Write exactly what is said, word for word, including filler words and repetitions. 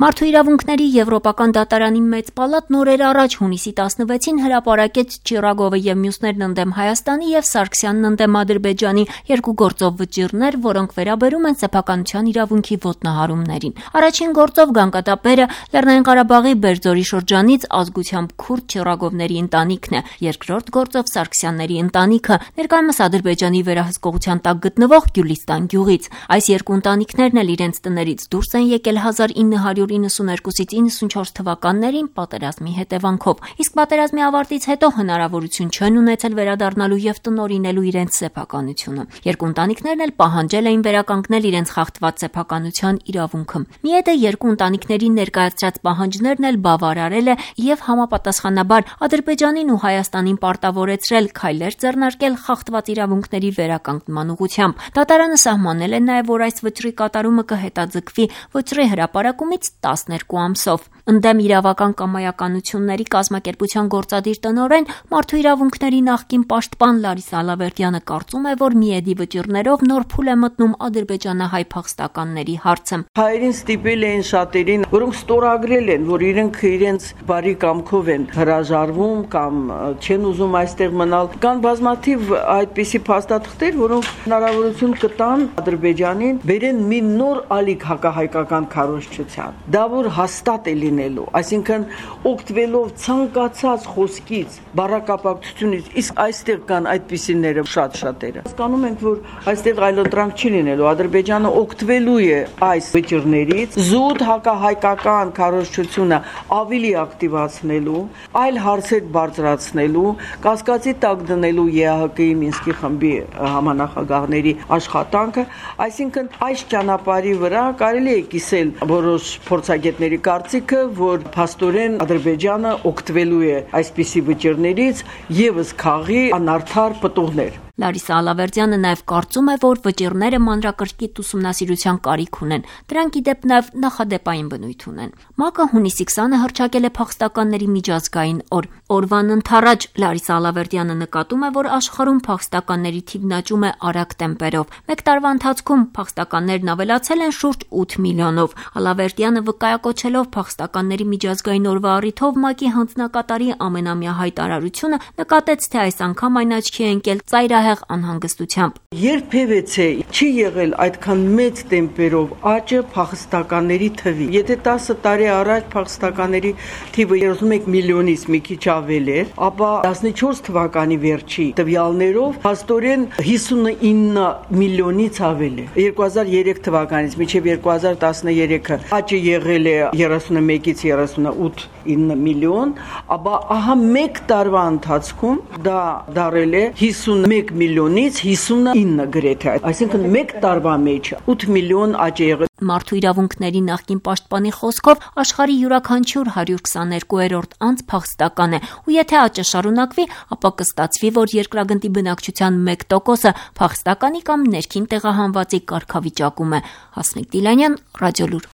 Մարդու իրավունքների Եվրոպական դատարանի մեծ պալատն օրեր առաջ հունիսի տասնվեցին հրապարակեց Չիրագովը եւ մյուսներն ընդդեմ Հայաստանի եւ Սարգսյանն ընդդեմ Ադրբեջանի երկու գործով վճիռներ, որոնք վերաբերում են սեփականության իրավունքի ոտնահարումներին։ Առաջին գործով գանգատապերը Լեռնային Ղարաբաղի Բերձորի շրջանից ազգությամբ քուրդ Չիրագովների ընտանիքն է, երկրորդ գործով Սարգսյանների ընտանիքը, ներկայումս Ադրբեջանի վերահսկողության տակ գտնվող Գյուլիստան գյուղից։ Այս երկու ընտանիքներն էլ իրենց տներից դուրս են եկել հազար ինը հարյուր իննսուներկուսից իննսունչորս թվականներին պատերազմի հետևանքով, իսկ պատերազմի ավարտից հետո հնարավորություն չեն ունեցել վերադառնալու եւ տնօրինելու իրենց սեփականությունը։ Երկու ընտանիքներն էլ պահանջել էին վերականգնել իրենց խախտված սեփականության իրավունքը։ Միեդը երկու ընտանիքների ներկայացրած պահանջներն էլ բավարարել է եւ համապատասխանաբար Ադրբեջանին ու Հայաստանին պարտավորեցրել քայլեր ձեռնարկել խախտված իրավունքների վերականգնման ուղղությամբ։ Դատարանը սահմանել է նաեւ, որ այս վճռի կատարումը կհետաձգվի վճռի հրապարակումից տասներկու ամսով։ Ընդդեմ իրավական կամայականությունների կազմակերպության գործադիր տնօրեն, մարդու իրավունքների նախկին պաշտպան Լարիսա Ալավերդյանը կարծում է, որ Միեդի վճիռներով նոր փուլ է մտնում ադրբեջանահայ փախստականների հարցը։ Հայերին ստիպել էին շատերին, որոնք ստորագրել են, որ իրենք իրենց բարի կամքով են հրաժարվում կամ չեն ուզում այստեղ մնալ։ Կան բազմաթիվ այդպիսի փաստաթղթեր, որոնք հնարավորություն կտան Ադրբեջանին բերեն մի նոր ալիք հակահայկական քարոզչության։ Դա որ հաստատ է լինելու, այսինքն օգտվելով ցանկացած խոսքից, բառակապակցությունից, իսկ այստեղ կան այդպիսիները շատ շատերը։ Հասկանում ենք, որ այստեղ այլընտրանք չի լինելու, Ադրբեջանը օգտվելու է այս վճիռներից, զուտ հակահայկական քարոզչությունը ավելի ակտիվացնելու, այլ հարցեր բարձրացնելու, կասկածի տակ դնելու ԵԱՀԿ-ի Մինսկի խմբի համանախագահների աշխատանքը, այսինքն այս ճանապարհի վրա կարելի է կիսել որոշ փորձագետների կարծիքը, որ փաստորեն Ադրբեջանը օգտվելու է այսպիսի վճիռներից եւս քաղի անարդար պտուղներ։ Լարիսա Ալավերդյանը նաև կարծում է, որ վճիռները մանրակրկիտ ուսումնասիրության կարիք ունեն, դրանք ի դեպ նաև նախադեպային բնույթ ունեն։ ՄԱԿ-ը հունիսի քսանը հռչակել է փախստականների միջազգային օր։ Օրվան ընթառաջ Լարիսա Ալավերդյանը նկատում է, որ աշխարհում փախստականների թիվն աճում է արագ տեմպերով։ Մեկ տարվա ընթացքում փախստականներն ավելացել են շուրջ ութ միլիոնով։ Ալավերդյանը վկայակոչելով փախստականների միջազգային օրվա առիթով ՄԱԿ-ի հանձնակատարի ամենամյա հայտարարությունը նկատեց, թե այս անգամ այն աչքի է ընկել ծայրահեղ անհանգստությամբ։ Երբևէ չի եղել այդքան մեծ տեմպերով աճը փախստականների թվի։ Եթե տասը տարի առաջ փախստականների թիվը երեսունմեկ միլիոնից մի քիչ ավել էր, ապա տասնչորս թվականի վերջի տվյալներով փաստորեն հիսունինը միլիոնից ավել է։ երկու հազար երեք թվականից մինչև երկու հազար տասներեքը աճը եղել է երեսունմեկից երեսունութ միլիոն, ապա ահա մեկ տարվա ընթացքում դա դարել է հիսունմեկ միլիոնից հիսունինը գրեթե, այսինքն մեկ տարվա մեջ ութ միլիոն աճ է եղել։ Մարդու իրավունքների նախկին պաշտպանի խոսքով աշխարհի յուրաքանչյուր հարյուր քսաներկուերորդ անձ փախստական է, ու եթե աճը շարունակվի, ապա կստացվի, որ երկրագնդի բնակչության մեկ տոկոսը փախստականի կամ ներքին տեղահանվածի կարգավիճակում է։ Հասմիկ Դիլանյան, Ռադիոլուր։